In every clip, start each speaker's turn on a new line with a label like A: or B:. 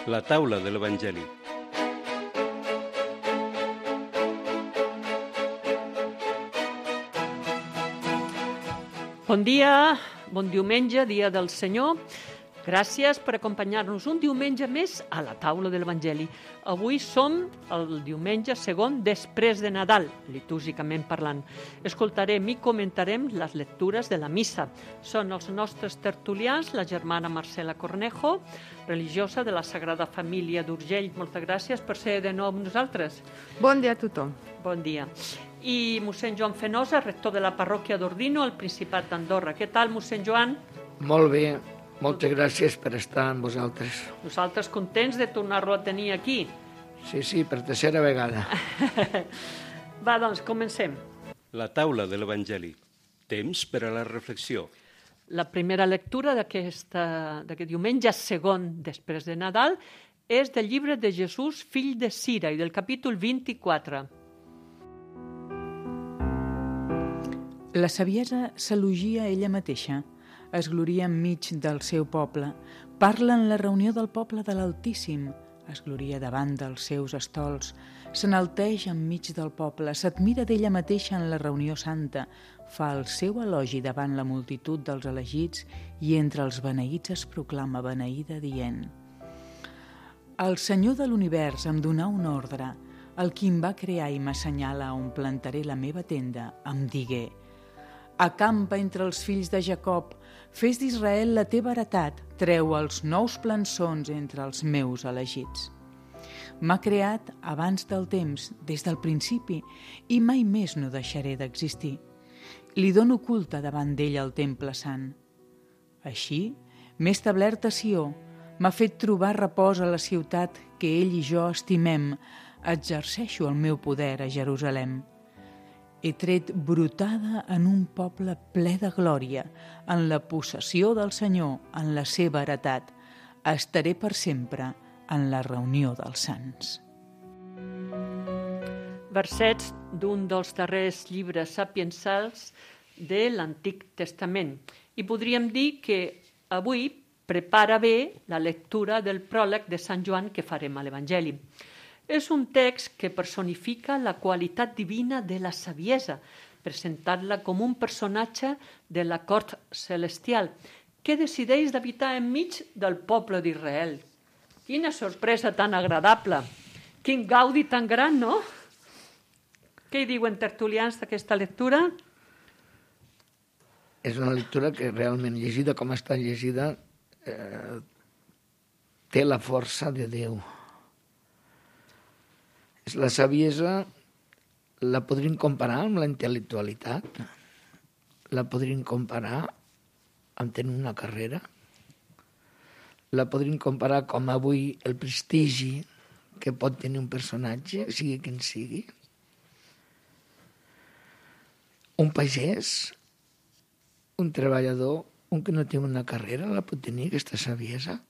A: La taula de l'Evangeli.
B: Bon dia, bon diumenge, dia del Senyor. Gràcies per acompanyar-nos un diumenge més a la taula de l'Evangeli. Avui som el diumenge segon després de Nadal, litúrgicament parlant. Escoltarem i comentarem les lectures de la missa. Són els nostres tertulians, la germana Marcela Cornejo, religiosa de la Sagrada Família d'Urgell. Moltes gràcies per ser de nou amb nosaltres.
C: Bon dia a tothom.
B: Bon dia. I mossèn Joan Fenosa, rector de la parròquia d'Ordino, al Principat d'Andorra. Què tal, mossèn Joan?
D: Molt bé, moltes gràcies per estar amb vosaltres.
B: Nosaltres contents de tornar-lo a tenir aquí.
D: Sí, per tercera vegada.
B: Va, doncs, comencem.
A: La taula de l'Evangeli. Temps per a la reflexió.
B: La primera lectura d'aquest diumenge segon després de Nadal és del llibre de Jesús, fill de Sira, i del capítol 24.
E: La saviesa s'elogia ella mateixa, es gloria enmig del seu poble, parla en la reunió del poble de l'Altíssim, es gloria davant dels seus estols, s'enalteix enmig del poble, s'admira d'ella mateixa en la reunió santa, fa el seu elogi davant la multitud dels elegits i entre els beneïts es proclama beneïda dient: El Senyor de l'univers em donà un ordre, el qui em va crear i m'assenyala on plantaré la meva tenda, em digué: Acampa entre els fills de Jacob, fes d'Israel la teva heretat, treu els nous plançons entre els meus elegits. M'ha creat abans del temps, des del principi, i mai més no deixaré d'existir. Li dono culte davant d'ell al temple sant. Així, m'he establert a Sió, m'ha fet trobar repòs a la ciutat que ell i jo estimem, exerceixo el meu poder a Jerusalem. He tret brotada en un poble ple de glòria, en la possessió del Senyor, en la seva heretat. Estaré per sempre en la reunió dels sants.
B: Versets d'un dels darrers llibres sapiensals de l'Antic Testament. I podríem dir que avui prepara bé la lectura del pròleg de Sant Joan que farem a l'Evangeli. És un text que personifica la qualitat divina de la saviesa, presentant-la com un personatge de la cort celestial, que decideix d'habitar enmig del poble d'Israel. Quina sorpresa tan agradable! Quin gaudi tan gran, no? Què hi diuen tertulians d'aquesta lectura?
D: És una lectura que realment, llegida com està llegida, té la força de Déu. La saviesa la podríem comparar amb la intel·lectualitat, la podríem comparar amb tenir una carrera, la podríem comparar com avui el prestigi que pot tenir un personatge, sigui quin sigui. Un pagès, un treballador, un que no té una carrera, la pot tenir aquesta saviesa.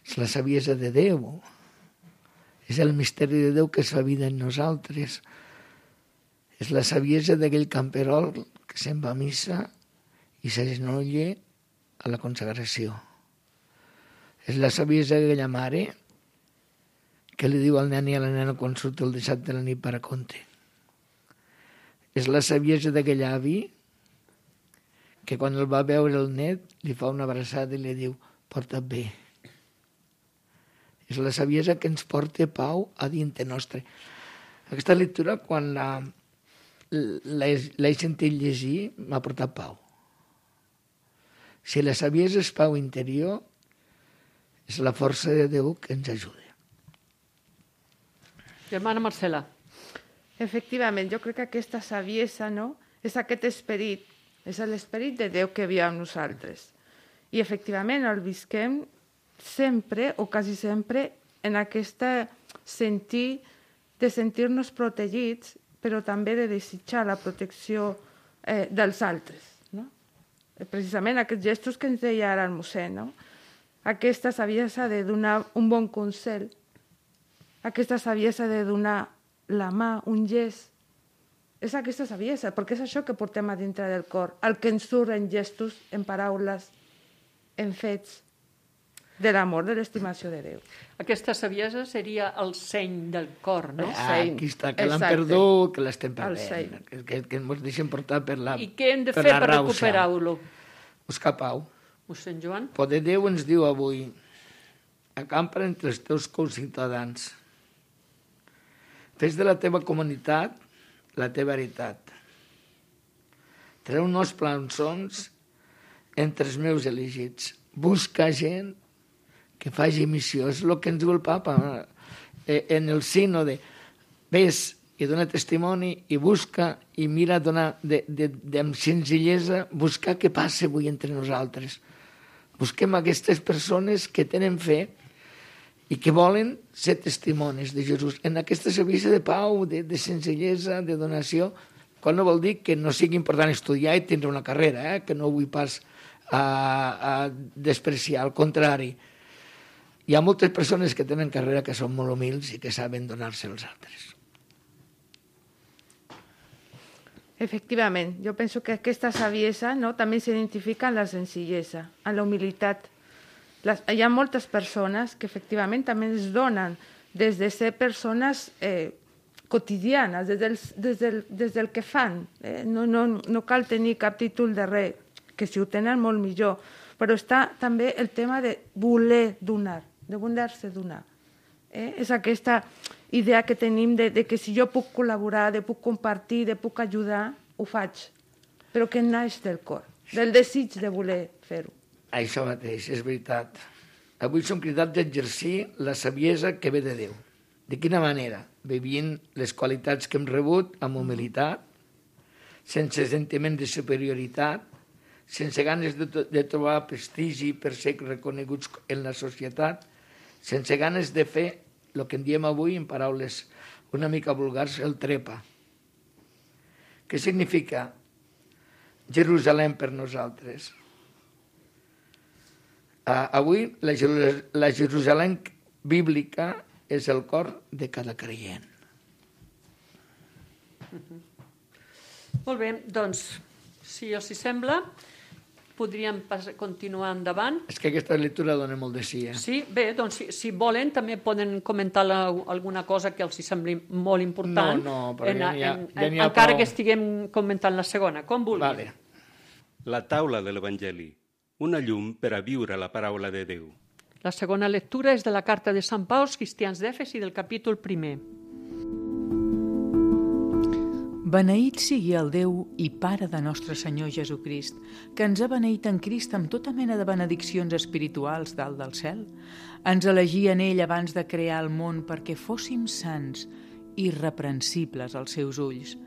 D: És la saviesa de Déu. És el misteri de Déu que es fa vida en nosaltres. És la saviesa d'aquell camperol que se'n va a missa i s'agenolla a la consagració. És la saviesa d'aquella mare que li diu al nen i a la nena quan surt el dissabte de la nit per a conte. És la saviesa d'aquell avi que quan el va veure el net li fa una abraçada i li diu: porta't bé. És la saviesa que ens porta pau a dintre nostre. Aquesta lectura, quan l'he sentit llegir, m'ha portat pau. Si la saviesa és pau interior, és la força de Déu que ens ajuda.
B: Germana Marcela.
C: Efectivament, jo crec que aquesta saviesa, no?, és aquest esperit, és l'esperit de Déu que viu amb nosaltres. I efectivament el visquem sempre, o quasi sempre, en aquest sentir de sentir-nos protegits, però també de desitjar la protecció dels altres. No? Precisament aquests gestos que ens deia ara el mossèn, no? Aquesta saviesa de donar un bon consell, aquesta saviesa de donar la mà, un gest, és aquesta saviesa, perquè és això que portem a dintre del cor, el que ens surt en gestos, en paraules, en fets. de l'amor, de l'estimació de Déu.
B: Aquesta saviesa seria el seny del cor, no?
D: Aquí està, que l'han
C: Exacte.
D: perdut, que l'estem
C: El seny.
D: perdent, que ens deixen portar per la
B: I què hem de
D: per
B: fer
D: la
B: per
D: rauxa.
B: recuperar-lo?
D: Buscar pau.
B: Mossèn Joan?
D: Poder Déu ens diu avui, acampa entre els teus conciutadans. Fes de la teva comunitat la teva veritat. Treu uns plançons entre els meus elegits. Busca gent que faci missió. És el que ens diu el papa en el sínode. Ves i dona testimoni i busca i mira donar amb senzillesa, buscar què passa avui entre nosaltres. Busquem aquestes persones que tenen fe i que volen ser testimonis de Jesús. En aquesta servici de pau, de senzillesa, de donació, quan no vol dir que no sigui important estudiar i tindre una carrera, que no vull pas a despreciar, al contrari. Hi ha moltes persones que tenen carrera que són molt humils i que saben donar-se als altres.
C: Efectivament, jo penso que aquesta saviesa, no, també s'identifica en la senzillesa, en la humilitat. Hi ha moltes persones que efectivament també es donen des de ser persones quotidianes, des del que fan. No cal tenir cap títol de res, que si ho tenen molt millor, però està també el tema de voler donar, de voler-se donar. És aquesta idea que tenim de que si jo puc col·laborar, de puc compartir, de puc ajudar, ho faig, però que naix del cor, del desig de voler fer-ho.
D: Això mateix, és veritat. Avui som cridats a exercir la saviesa que ve de Déu. De quina manera? Vivint les qualitats que hem rebut amb humilitat, sense sentiment de superioritat, sense ganes de trobar prestigi per ser reconeguts en la societat, sense ganes de fer el que en diem avui, en paraules una mica vulgars, el trepa. Què significa Jerusalem per nosaltres? Avui la Jerusalem bíblica és el cor de cada creient.
B: Molt bé, doncs, si us hi sembla, podríem continuar endavant.
D: És que aquesta lectura dona molt de sí.
B: Sí, bé, doncs si volen també poden comentar alguna cosa que els hi sembli molt important.
D: No, però ja n'hi ha
B: encara
D: prou.
B: que estiguem comentant la segona, com vulguin.
D: Vale.
A: La taula de l'Evangeli, una llum per a viure la paraula de Déu.
B: La segona lectura és de la carta de Sant Pau als cristians d'Efesi del capítol 1.
E: Beneït sigui el Déu i Pare de nostre Senyor Jesucrist, que ens ha beneït en Crist amb tota mena de benediccions espirituals dalt del cel. Ens elegí en ell abans de crear el món perquè fóssim sants, irreprensibles als seus ulls.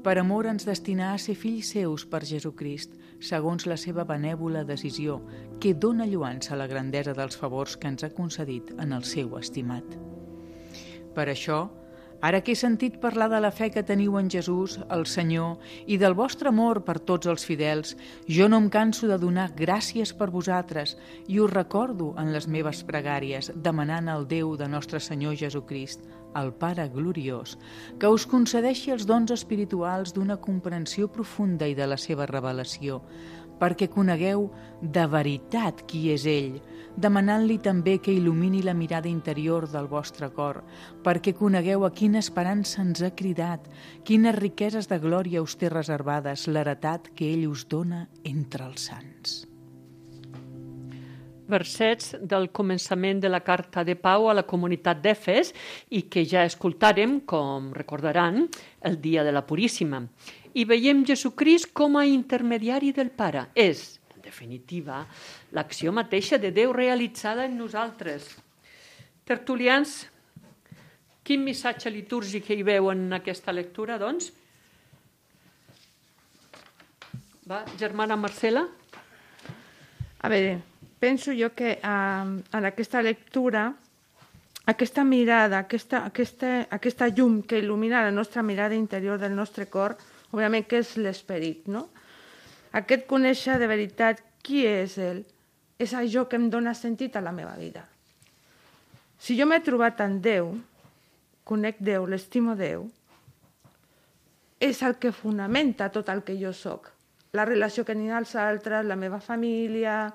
E: Per amor ens destinà a ser fills seus per Jesucrist, segons la seva benèvola decisió, que dóna lluança a la grandesa dels favors que ens ha concedit en el seu estimat. Per això, ara que he sentit parlar de la fe que teniu en Jesús, el Senyor, i del vostre amor per tots els fidels, jo no em canso de donar gràcies per vosaltres i us recordo en les meves pregàries, demanant al Déu de nostre Senyor Jesucrist, el Pare gloriós, que us concedeixi els dons espirituals d'una comprensió profunda i de la seva revelació, perquè conegueu de veritat qui és ell, demanant-li també que il·lumini la mirada interior del vostre cor, perquè conegueu a quina esperança ens ha cridat, quines riqueses de glòria us té reservades, l'heretat que ell us dona entre els sants.
B: Versets del començament de la carta de Pau a la comunitat d'Efes i que ja escoltàrem, com recordaran, el dia de la Puríssima. I veiem Jesucrist com a intermediari del Pare. És, en definitiva, l'acció mateixa de Déu realitzada en nosaltres. Tertulians, quin missatge litúrgic hi veu en aquesta lectura, doncs? Va, germana Marcela?
C: A veure, penso jo que en aquesta lectura, aquesta mirada, aquesta llum que il·lumina la nostra mirada interior del nostre cor, òbviament que és l'esperit, no? Aquest conèixer de veritat qui és ell, és això que em dona sentit a la meva vida. Si jo m'he trobat en Déu, conec Déu, l'estimo Déu, és el que fonamenta tot el que jo soc. La relació que n'hi ha als altres, la meva família,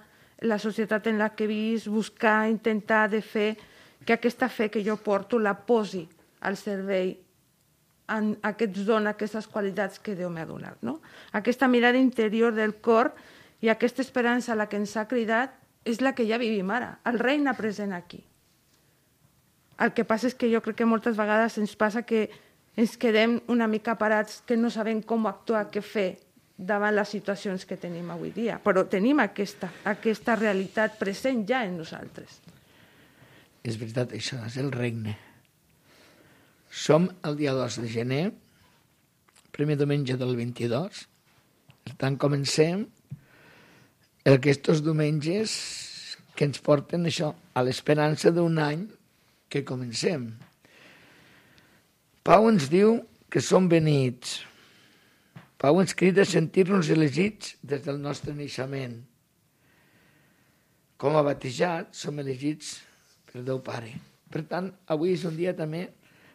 C: la societat en la que visc, buscar, intentar de fer que aquesta fe que jo porto la posi al servei que ens dona aquestes qualitats que Déu m'ha donat. No? Aquesta mirada interior del cor i aquesta esperança a la que ens ha cridat és la que ja vivim ara, el regne present aquí. El que passa és que jo crec que moltes vegades ens passa que ens quedem una mica parats, que no sabem com actuar, què fer davant les situacions que tenim avui dia. Però tenim aquesta realitat present ja en nosaltres.
D: És veritat, això és el regne. Som el dia 2 de gener, primer diumenge del 22. Per tant, comencem aquests diumenges que ens porten això, a l'esperança d'un any que comencem. Pau ens diu que som benits. Pau ens crida a sentir-nos elegits des del nostre naixement. Com a batejats som elegits per Déu Pare. Per tant, avui és un dia també,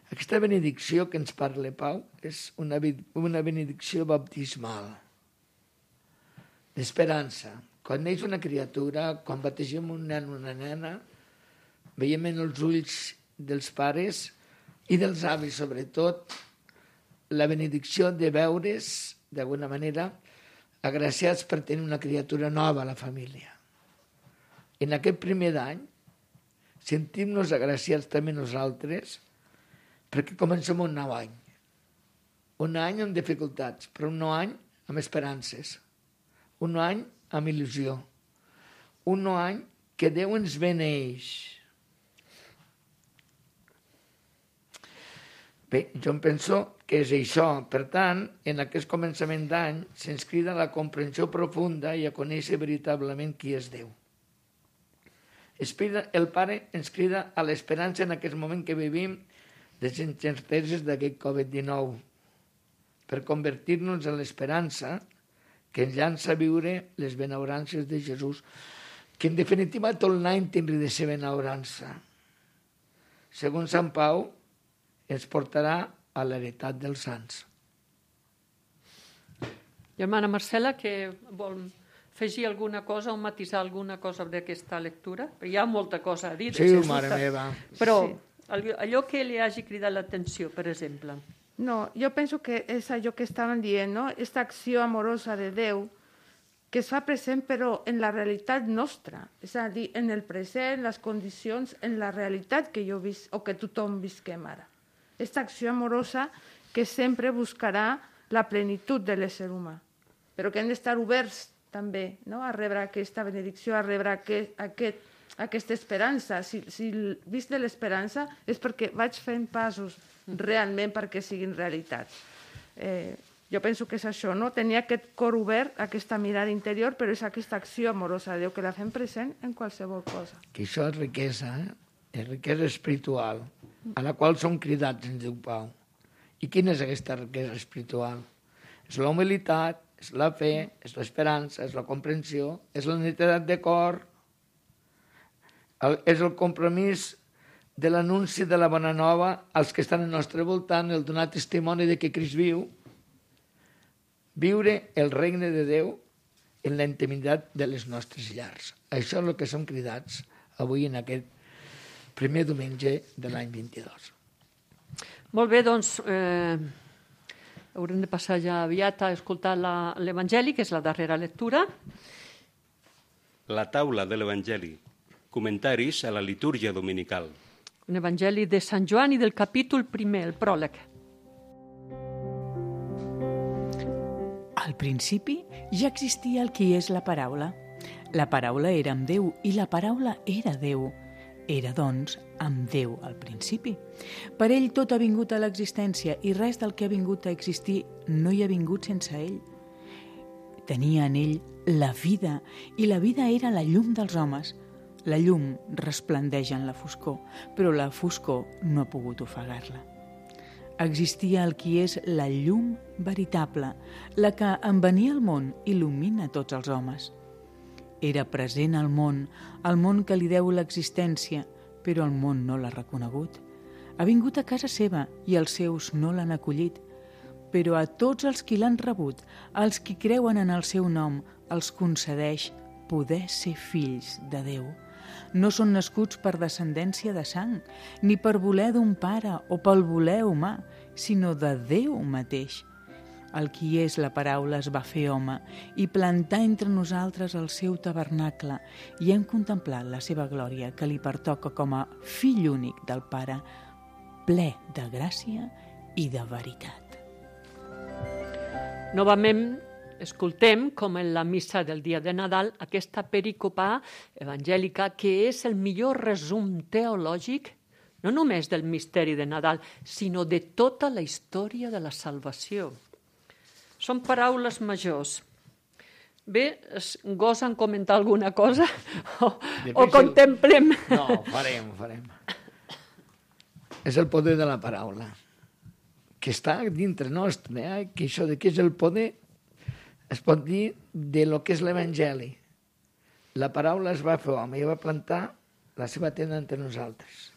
D: aquesta benedicció que ens parla Pau és una benedicció baptismal, d'esperança. Quan neix una criatura, quan bategem un nen o una nena, veiem en els ulls dels pares i dels avis, sobretot, la benedicció de veure's, d'alguna manera, agraciats per tenir una criatura nova a la família. En aquest primer d'any, sentim-nos agraciats també nosaltres, perquè comencem un nou any. Un any amb dificultats, però un nou any amb esperances. Un nou any amb il·lusió. Un nou any que Déu ens beneix. Bé, jo em penso que és això. Per tant, en aquest començament d'any se'ns crida a la comprensió profunda i a conèixer veritablement qui és Déu. El Pare ens crida a l'esperança en aquest moment que vivim les incerteses d'aquest Covid-19 per convertir-nos en l'esperança que ens llança a viure les benaurances de Jesús, que en definitiva tot l'any tindrà de ser benaurança. Segons Sant Pau, ens portarà a l'heretat dels sants.
B: Germana Marcela, que vol afegir alguna cosa o matisar alguna cosa d'aquesta lectura? Hi ha molta cosa a dir.
D: Sí, mare meva.
B: Però allò que li hagi cridat l'atenció, per exemple.
C: No, jo penso que és allò que estaven dient, no? Aquesta acció amorosa de Déu que es fa present però en la realitat nostra, és a dir, en el present, les condicions, en la realitat que jo visc o que tothom visquem ara. Aquesta acció amorosa que sempre buscarà la plenitud de l'ésser humà, però que hem d'estar oberts també, no? A rebre aquesta benedicció, a rebre aquesta esperança. Si visc de l'esperança és perquè vaig fent passos realment perquè siguin realitat. Jo penso que és això, no? Tenir aquest cor obert, aquesta mirada interior, però és aquesta acció amorosa de Déu que la fem present en qualsevol cosa.
D: Que això és riquesa, és riquesa espiritual, a la qual som cridats, ens diu Pau. I quina és aquesta riquesa espiritual? És la humilitat, és la fe, és l'esperança, és la comprensió, és la netedat de cor, és el compromís de l'anunci de la bona nova als que estan al nostre voltant, el donar testimoni de que Crist viu, viure el regne de Déu en la intimitat de les nostres llars. Això és el que som cridats avui en aquest primer diumenge de l'any 22.
B: Molt bé, doncs haurem de passar ja aviat a escoltar l'Evangeli, que és la darrera lectura.
A: La taula de l'Evangeli. Comentaris a la litúrgia dominical.
B: Un Evangeli de Sant Joan i del capítol 1, el pròleg.
E: Al principi ja existia el qui és la paraula. La paraula era amb Déu i la paraula era Déu. Era, doncs, amb Déu al principi. Per ell tot ha vingut a l'existència i res del que ha vingut a existir no hi ha vingut sense ell. Tenia en ell la vida i la vida era la llum dels homes. La llum resplendeix en la foscor, però la foscor no ha pogut ofegar-la. Existia el qui és la llum veritable, la que en venir al món il·lumina tots els homes. Era present al món que li deu l'existència, però el món no l'ha reconegut. Ha vingut a casa seva i els seus no l'han acollit, però a tots els qui l'han rebut, als qui creuen en el seu nom, els concedeix poder ser fills de Déu. No són nascuts per descendència de sang, ni per voler d'un pare o pel voler humà, sinó de Déu mateix. El qui és la paraula es va fer home i plantar entre nosaltres el seu tabernacle i hem contemplat la seva glòria que li pertoca com a fill únic del Pare, ple de gràcia i de veritat.
B: Novament, escoltem, com en la missa del dia de Nadal, aquesta perícopa evangèlica que és el millor resum teològic no només del misteri de Nadal, sinó de tota la història de la salvació. Són paraules majors. Bé, gosen comentar alguna cosa o contemplem?
D: No, farem. És el poder de la paraula, que està dintre nostre, que això de què és el poder es pot dir de lo que és l'Evangeli. La paraula es va fer home i va plantar la seva tenda entre nosaltres.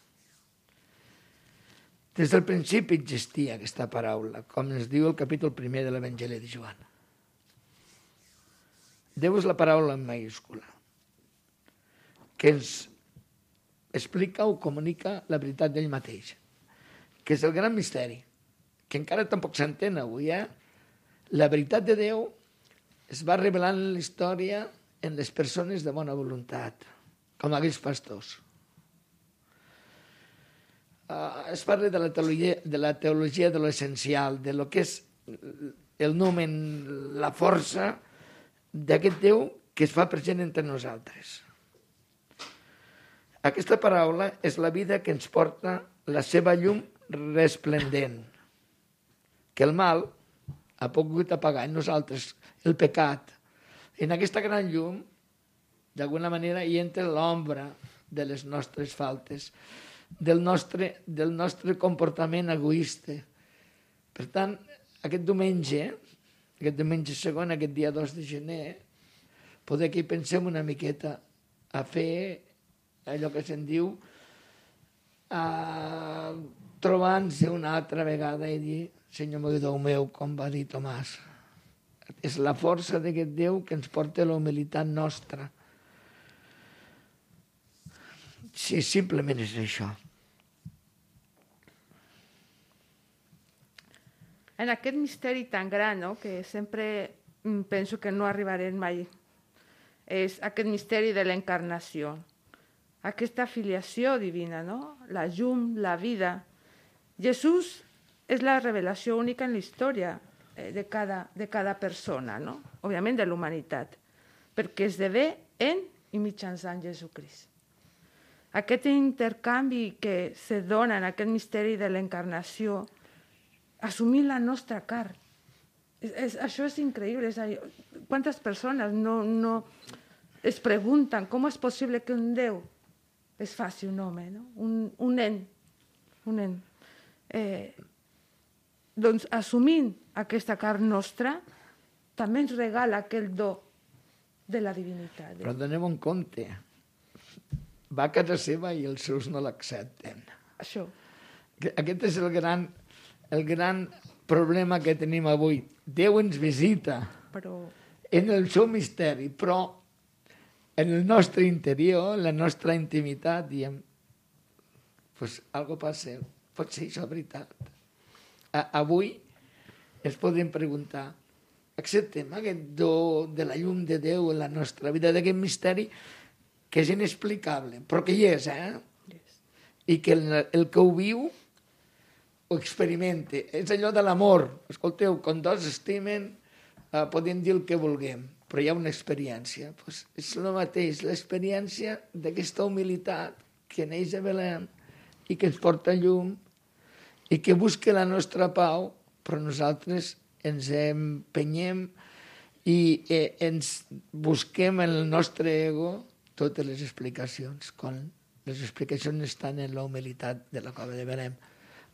D: Des del principi existia aquesta paraula, com ens diu el capítol 1 de l'Evangeli de Joan. Déu és la paraula en majúscula, que ens explica o comunica la veritat d'ell mateix, que és el gran misteri, que encara tampoc s'entén avui. La veritat de Déu es va revelant en la història en les persones de bona voluntat, com aquells pastors. Es parla de la teologia de l'essencial, de lo que és el nomen, la força d'aquest Déu que es fa present entre nosaltres. Aquesta paraula és la vida que ens porta la seva llum resplendent, que el mal ha pogut apagar en nosaltres, el pecat. En aquesta gran llum, d'alguna manera, hi entra l'ombra de les nostres faltes, del nostre comportament egoista. Per tant, aquest diumenge segon, aquest dia 2 de gener, poder que hi pensem una miqueta a fer allò que se'n diu trobant-se una altra vegada i dir, Senyor meu, Déu meu, com va dir Tomàs. És la força d'aquest Déu que ens porta a la humilitat nostra. Sí, simplement és això.
C: En aquest misteri tan gran, no?, que sempre penso que no arribarem mai, és aquest misteri de l'encarnació, aquesta filiació divina, no?, la llum, la vida. Jesús és la revelació única en la història de cada persona, no?, òbviament de l'humanitat, perquè esdevé en i mitjançant Jesucrist. Aquest intercanvi que se dona en aquest misteri de l'encarnació, assumir la nostra carn. Això és increïble. Quantes persones no es pregunten com és possible que un Déu es faci un home, no? Un nen. Doncs assumint aquesta carn nostra, també ens regala aquell do de la divinitat.
D: Però donem un compte. Va a casa seva i els seus no l'accepten.
C: Això.
D: Aquest és el gran problema que tenim avui. Déu ens visita en el seu misteri, però en el nostre interior, en la nostra intimitat, diem, pues algo passa, pot ser això veritat. Avui ens podem preguntar, acceptem aquest do de la llum de Déu en la nostra vida, d'aquest misteri que és inexplicable, però que hi és, i que el que ho viu ho experimenta. És allò de l'amor. Escolteu, quan dos estimen, podem dir el que vulguem, però hi ha una experiència. Pues és el mateix, l'experiència d'aquesta humilitat que neix a Belém i que ens porta llum i que busca la nostra pau, però nosaltres ens empenyem i ens busquem en el nostre ego totes les explicacions, quan les explicacions estan en la humilitat de la cova de Belém.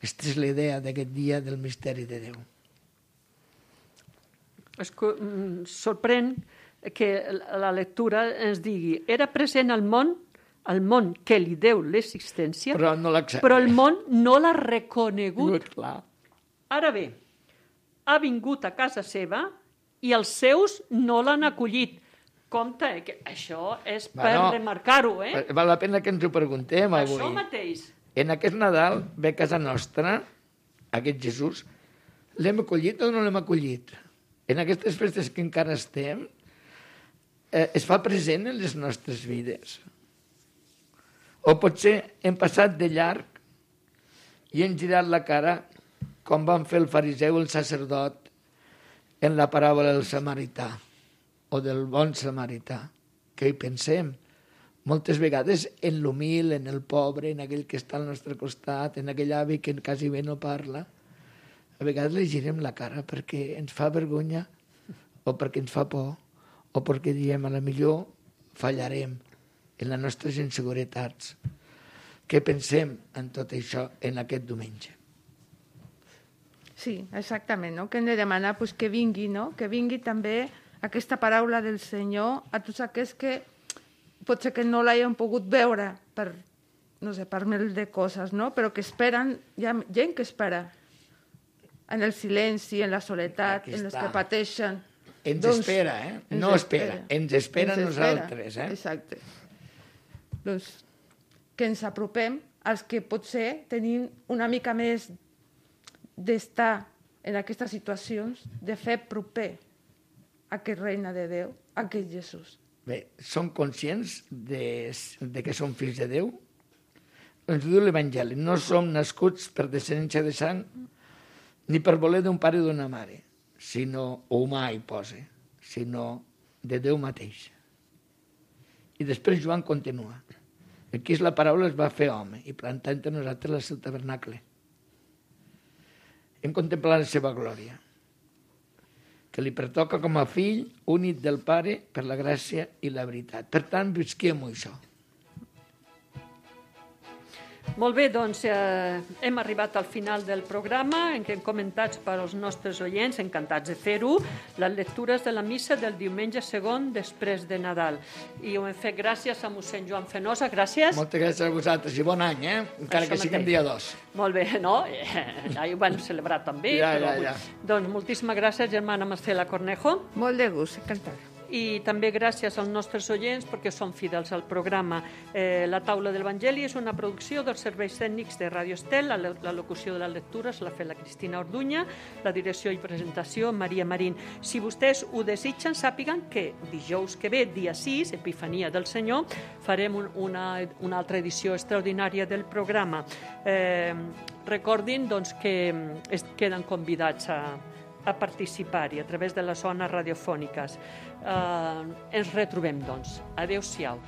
D: Aquesta és la idea d'aquest dia del misteri de Déu.
B: Sorprèn que la lectura ens digui era present al món que li deu l'existència,
D: però no l'accepta.
B: Però el món no l'ha reconegut.
D: Clar.
B: Ara bé, ha vingut a casa seva i els seus no l'han acollit, compte, que això és per remarcar-ho,
D: Val la pena que ens ho preguntem avui.
B: Això mateix.
D: En aquest Nadal ve a casa nostra, aquest Jesús, l'hem acollit o no l'hem acollit? En aquestes festes que encara estem, es fa present en les nostres vides. O potser hem passat de llarg i hem girat la cara com van fer el fariseu i el sacerdot en la paràbola del samarità o del bon samarità, que hi pensem moltes vegades en l'humil, en el pobre, en aquell que està al nostre costat, en aquell avi que quasi bé no parla. A vegades li girem la cara perquè ens fa vergonya o perquè ens fa por o perquè diem a la millor fallarem en les nostres inseguretats. Què pensem en tot això en aquest diumenge?
C: Sí, exactament, no? Que hem de demanar pues, que vingui, no? Que vingui també aquesta paraula del Senyor a tots aquells que potser que no l'hagin pogut veure per, no sé, per mil de coses, no? Però que esperen, hi ha gent que espera en el silenci, en la soledat, en els que pateixen.
D: Ens espera, No espera, ens espera a nosaltres,
C: Exacte. Doncs que ens apropem als que potser tenim una mica més d'estar en aquestes situacions, de fer proper aquest reina de Déu, aquest Jesús.
D: Bé, som conscients de que som fills de Déu? Ens diu l'Evangeli, no som nascuts per descendència de sang ni per voler d'un pare o d'una mare, sinó, o humà hi posa, sinó de Déu mateix. I després Joan continua. Aquí la paraula es va fer home i plantar entre nosaltres el seu tabernacle. Hem contemplat la seva glòria, que li pertoca com a fill únic del Pare per la gràcia i la veritat. Per tant, visquem això.
B: Molt bé, doncs hem arribat al final del programa en què hem comentat per als nostres oients, encantats de fer-ho, les lectures de la missa del diumenge segon després de Nadal. I ho hem fet gràcies a mossèn Joan Fenosa, gràcies.
D: Moltes gràcies a vosaltres i bon any, encara que siguem dia 2.
B: Molt bé, no? Ja ho vam celebrar també.
D: Ja.
B: Doncs moltíssimes gràcies, germana Marcela Cornejo.
C: Molt de gust, encantat.
B: I també gràcies als nostres oients perquè són fidels al programa. La taula de l'Evangeli és una producció dels serveis tècnics de Radio Estel. La locució de les lectures l'ha fet la Cristina Orduña, la direcció i presentació Maria Marín. Si vostès ho desitgen, sàpiguen que dijous que ve, dia 6, Epifania del Senyor, farem una altra edició extraordinària del programa. Recordin doncs, que es queden convidats a participar-hi a través de les zones radiofòniques. Ens retrobem, doncs. Adéu-siau.